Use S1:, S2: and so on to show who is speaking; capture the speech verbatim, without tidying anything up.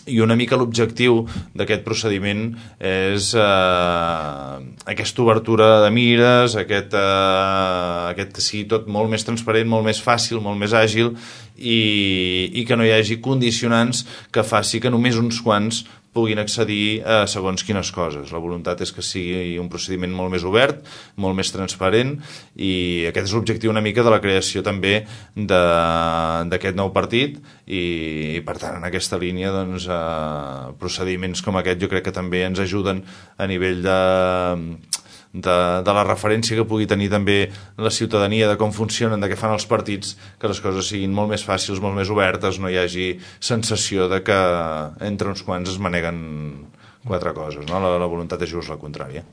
S1: i una mica l'objectiu d'aquest procediment és eh, aquesta obertura de mires, aquest, eh, aquest que sigui tot molt més transparent, molt més fàcil, molt més àgil i, i que no hi hagi condicionants que faci que només uns quants puguin accedir a segons quines coses. La voluntat és que sigui un procediment molt més obert, molt més transparent i aquest és l'objectiu una mica de la creació també d'aquest nou partit i, i per tant en aquesta línia doncs, eh, procediments com aquest jo crec que també ens ajuden a nivell de... De, de la referència que pugui tenir també la ciutadania de com funcionen, de què fan els partits, que les coses siguin molt més fàcils, molt més obertes, no hi hagi sensació de que entre uns quants es maneguen quatre coses, no? La, la voluntat és just la contrària.